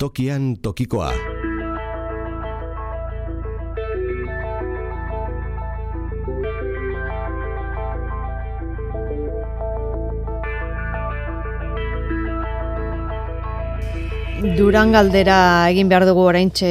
Tokian tokikoa. Durangaldera egin behar dugu oraintxe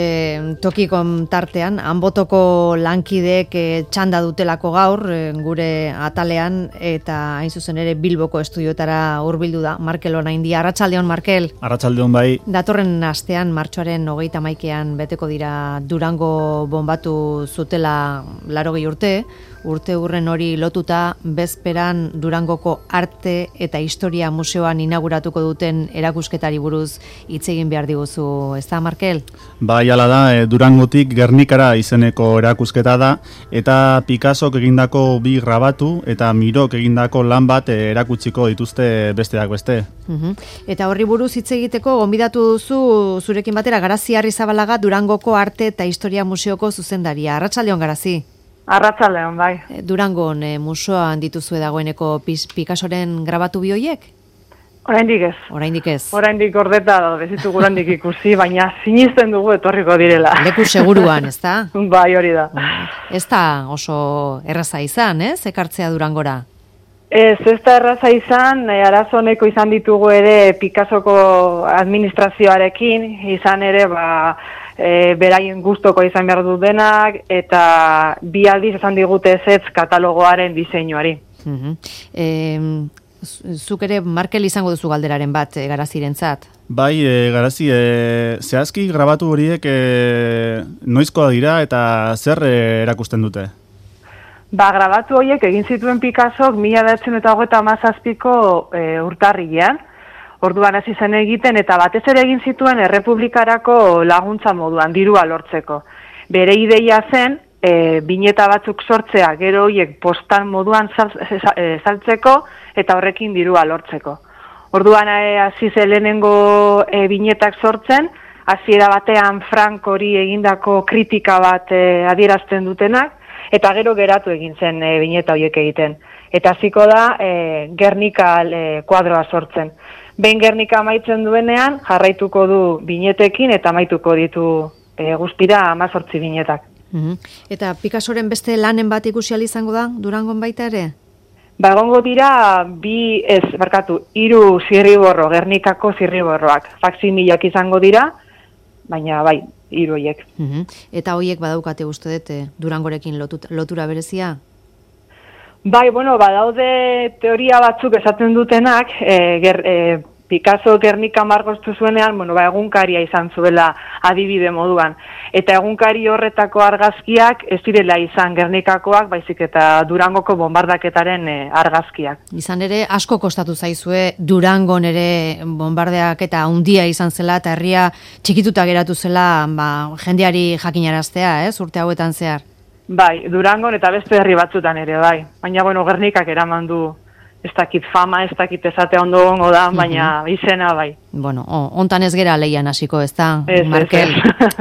tokikon tartean, Anbotoko lankideek txanda dutelako gaur gure atalean, eta hain zuzen ere Bilboko estudiotara hurbildu da Markel Onaindia. Arratsaldeon, Markel. Arratsaldeon bai. Datorren astean, martxoaren 31ean beteko dira Durango bonbatu zutela 80 urte urren hori lotuta, bezperan Durangoko Arte eta Historia Museoan inauguratuko duten erakusketari buruz hitz egin behar diguzu, ez da, Markel? Bai, hala da, Durangotik Gernikara izeneko erakusketa da, eta Picassok egindako bi grabatu eta Mirok egindako lan bat erakutsiko dituzte besteak beste. Eta horri buruz hitz egiteko gonbidatu duzu zurekin batera Garazi Arrizabalaga, Durangoko Arte eta Historia Museoko zuzendaria. Arratsaldeon, Garazi. Arratsaldeon, bai. Durangon museoan dituzue dagoeneko Picassoren grabatu bi horiek? Oraindik ez. Oraindik ez. Oraindik gordeta daude, ez ditugu oraindik ikusi, baina sinisten dugu etorriko direla. Leku seguruan, ez da? Bai, hori da. Ez da oso erraza izan, ez? Ekartzea Durangora. Ez da erraza izan, arazo honeko izan ditugu ere Picassoko administrazioarekin, izan ere, beraien gustoko izan behar dut denak, eta bi aldiz esan digute ezetz katalogoaren diseinuari. Zuk ere Markel izango duzu galderaren bat Garazirentzat. Bai, Garazi, zehazki grabatu horiek noizkoa dira eta zer erakusten dute? Grabatu horiek egin zituen Picassok 1937ko urtarrilean. Orduan hasi zen egiten eta batez ere egin zituen Errepublikarako laguntza moduan, dirua lortzeko. Bere ideia zen, bineta batzuk sortzea, gero horiek postal moduan saltzeko eta horrekin dirua lortzeko. Orduan hasi zen lehenengo binetak sortzen, hasiera batean Frank hori egindako kritika bat adierazten dutenak, eta gero geratu egin zen bineta horiek egiten. Eta hasiko da Gernika kuadroa sortzen. Behin Gernika amaitzen duenean, jarraituko du binetekin eta amaituko ditu guztira 18 binetak. Eta Picassoren beste lanen bat ikusi ahal izango da, Durangon baita ere? Egongo dira 3 zirriborro, Gernikako zirriborroak. Faksimilak izango dira, baina bai, 3 horiek. Eta horiek badaukate uste dut Durangorekin lotura berezia? Bai, badaude teoria batzuk esaten dutenak, Picasso Gernika margostu zuenean, egunkaria izan zuela adibide moduan. Eta egunkari horretako argazkiak ez direla izan Gernikakoak, baizik eta Durangoko bombardaketaren argazkiak. Izan ere, asko kostatu zaizue Durangon ere bombardaketa handia izan zela, eta herria txikituta geratu zela jendeari jakinaraztea, urte hauetan zehar. Bai, Durangon eta beste herri batzutan ere, bai. Baina, Gernikak eraman du, ez dakit fama, ez dakit esatea ondo gongo da, baina izena, bai. Hontan ez gera leian hasiko, ez da, Markel?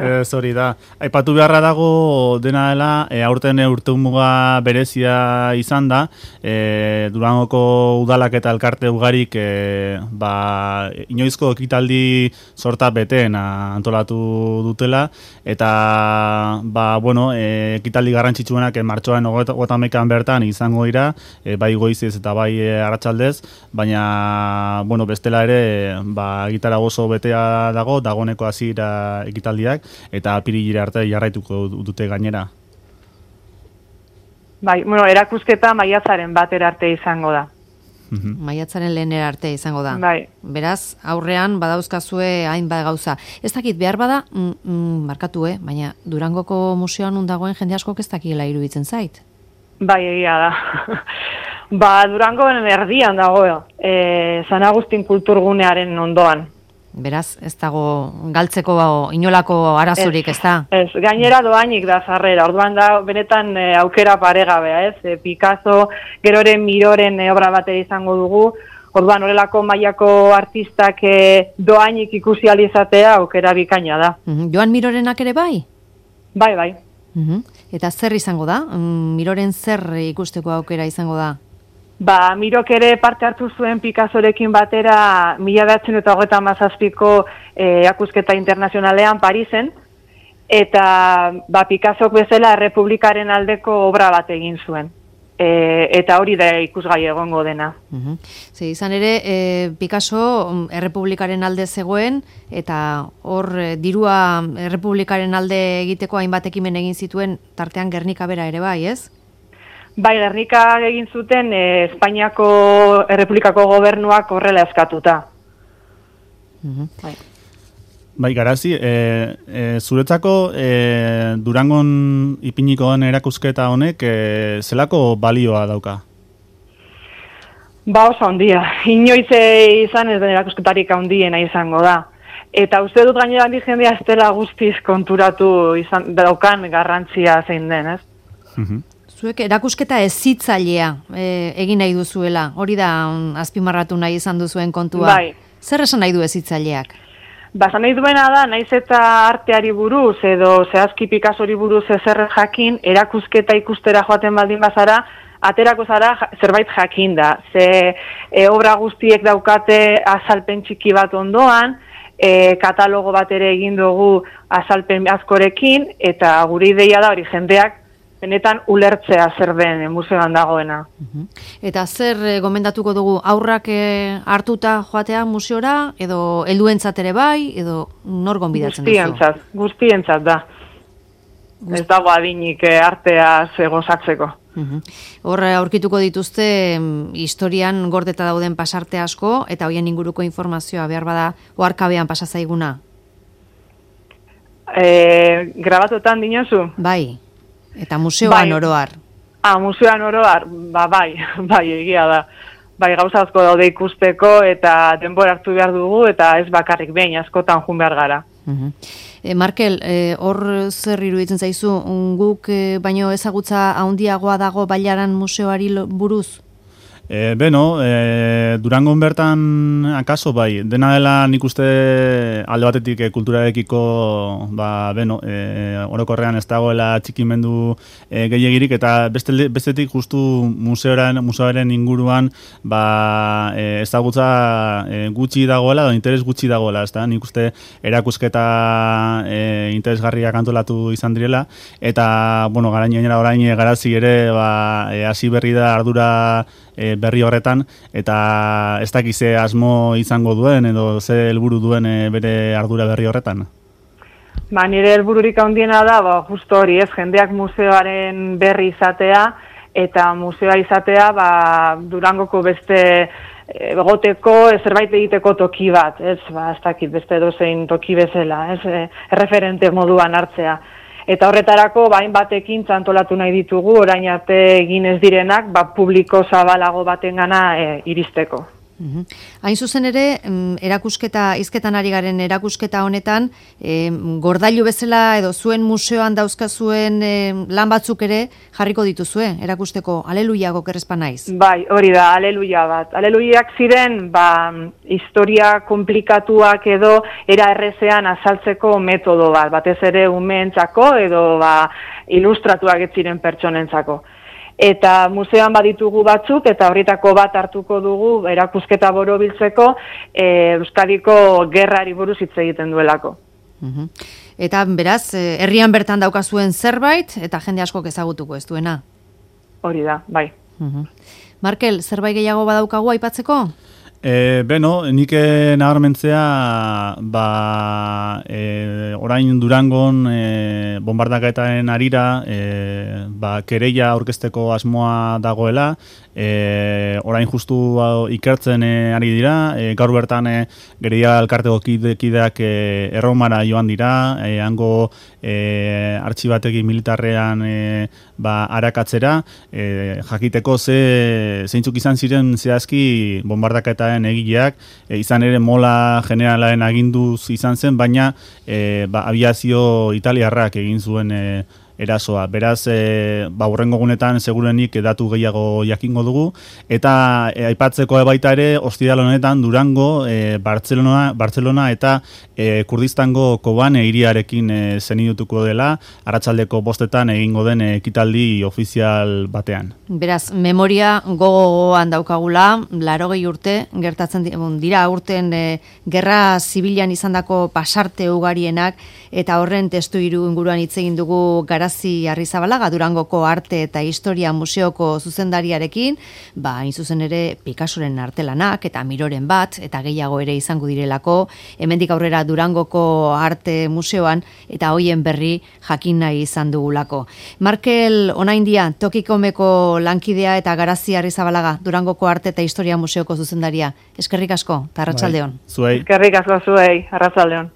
Ez hori da. Aipatu beharra dago dena dela, aurten urtemuga berezia izan da, Durangoko udalak eta elkarte ugarik inoizko ekitaldi sorta beteen antolatu dutela, eta ekitaldi garrantzitsuenak martxoaren 31ean bertan izango dira, bai goizez eta bai arratsaldez, baina bestela ere gitara oso betea dagoeneko hasiera ekitaldiak, eta apirilera arte jarraituko dute gainera. Bai, erakusketa maiatzaren 1 arte izango da. Maiatzaren 1 arte izango da. Bai. Beraz, aurrean badauzkazue hainbat gauza. Ez dakit behar bada, markatu, baina Durangoko museoan dagoen jende askok ez dakiela iruditzen zait. Bai, egia da. Durangoen erdian dago, San Agustin kulturgunearen ondoan. Beraz, ez dago galtzeko inolako arazurik, ez da? Ez, gainera doainik da sarrera, orduan da benetan aukera paregabea, ez? Picasso, gero ere Miroren obra batera izango dugu, orduan horrelako mailako artistak doainik ikusi ahal izatea aukera bikaina da. Joan Mirorenak ere bai? Bai. Eta zer izango da? Miroren zer ikusteko aukera izango da? Mirok ere parte hartu zuen Picassorekin batera 1937ko erakusketa internazionalean Parisen, eta Picassok bezala Errepublikaren aldeko obra bat egin zuen. Eta hori da ikusgai egongo dena. Izan ere, Picasso Errepublikaren alde zegoen, eta hor dirua Errepublikaren alde egiteko hainbat ekimen egin zituen, tartean Gernika bera ere bai, ez? Bai, Gernika egin zuten Espainiako Errepublikako gobernuak horrela eskatuta. Bai, Garazi, zuretzako Durangon ipiniko den erakusketa honek zelako balioa dauka? Oso handia. Inoiz izan ez den erakusketarik handiena izango da. Eta uste dut gainera handi jendea ez dela guztiz konturatu daukan garrantzia zein den, ez? Zuek erakusketa hezitzailea egin nahi duzuela, hori da azpimarratu nahi izan duzuen kontua. Bai. Zer esan nahi du hezitzaileak? Esan nahi duena da, naiz eta arteari buruz edo zehazki Picassori buruz ezer jakin, erakusketa ikustera joaten baldin bazara, aterako zara zerbait jakin da. Ze obra guztiek daukate azalpen txiki bat ondoan, katalogo bat ere egin dugu azalpen askorekin, eta gure ideia da hori jendeak benetan ulertzea zer den museoan dagoena. Eta zer gomendatuko dugu, aurrak hartuta joatea museora, edo helduentzat ere bai, edo nor gonbidatzen duzu? Guztientzat da. Ez dago adinik arteaz gozatzeko. Hor aurkituko dituzte historian gordeta dauden pasarte asko, eta hoien inguruko informazioa behar bada oharkabean pasa zaiguna? Grabatuetan dinozu? Bai. Eta museoan oroar. Museoan oroar, bai, egia da. Bai, gauza asko daude ikusteko eta denbora hartu behar dugu eta ez bakarrik behin askotan joan behar gara. Markel, hor zer iruditzen zaizu, guk baino ezagutza handiagoa dago Bailaran museoari buruz? Durangon bertan akaso bai, dena dela nik uste alde batetik kulturarekiko orokorrean ez dagoela txikimendu gehiegirik, eta bestetik justu museoaren inguruan ezagutza gutxi dagoela, edo interes gutxi dagoela, ez da, nik uste erakusketa interesgarriak antolatu izan direla, eta, orain Garazi ere hasi berri da ardura berri horretan, eta ez dakize asmo izango duen edo ze helburu duen bere ardura berri horretan? Nire helbururik handiena da, justo hori, ez, jendeak museoaren berri izatea, eta museoa izatea Durangoko beste egoteko zerbait egiteko toki bat, ez dakit beste dozein toki bezala, ez, erreferente moduan hartzea. Eta horretarako batekin antolatu nahi ditugu, orain arte egin ez direnak, publiko zabalago batengana iristeko. Hain zuzen ere, hizketan ari garen erakusketa honetan, gordailu bezala edo zuen museoan dauzkazuen lan batzuk ere jarriko dituzue, erakusteko aleluiago kerrezpa naiz. Bai, hori da, aleluia bat. Aleluiak ziren, historia komplikatuak edo era errezean azaltzeko metodo bat, batez ere umeentzako edo ilustratuak ez ziren pertsonentzako. Eta museoan baditugu batzuk, eta horretako bat hartuko dugu erakusketa borobiltzeko Euskadiko gerrari buruz hitz egiten duelako. Eta beraz, herrian bertan daukazuen zerbait, eta jende askok ezagutuko ez duena? Hori da, bai. Markel, zerbait gehiago badaukagu aipatzeko? Nik nabarmentzea orain Durangon bombardaketaren arira kereia aurkezteko asmoa dagoela, orain justu ikertzen ari dira, gaur bertan Gereia elkarteko kideak Erromara joan dira, hango artxibategi militarrean arakatzera, jakiteko zeintzuk izan ziren zehazki bombardaketaren egileak, izan ere Mola generalaren aginduz izan zen, baina abiazio italiarrak egin zuen erasoa. Beraz, hurrengo gunetan segurenik datu gehiago jakingo dugu, eta aipatzeko baita ere, ostiral honetan Durango, Bartzelona eta Kurdistango Kobane hiriarekin zenidutuko dela, arratsaldeko 5 egingo den ekitaldi ofizial batean. Beraz, memoria gogoan daukagula, 80 urte, gertatzen dira urten gerra zibilan izandako pasarte ugarienak, eta horren testu inguruan hitz egin dugu Garazi Arrizabalaga, Durangoko Arte eta Historia Museoko zuzendariarekin, hain zuzen ere Picassoren artelanak eta Miroren bat, eta gehiago ere izango direlako, hemendik aurrera Durangoko Arte Museoan, eta hoien berri jakin nahi izan dugulako. Markel Onaindia, Tokikomeko lankidea eta Garazi Arrizabalaga, Durangoko Arte eta Historia Museoko zuzendaria. Eskerrik asko, eta arratsaldeon. Zuei. Eskerrik asko zuei, arratsaldeon.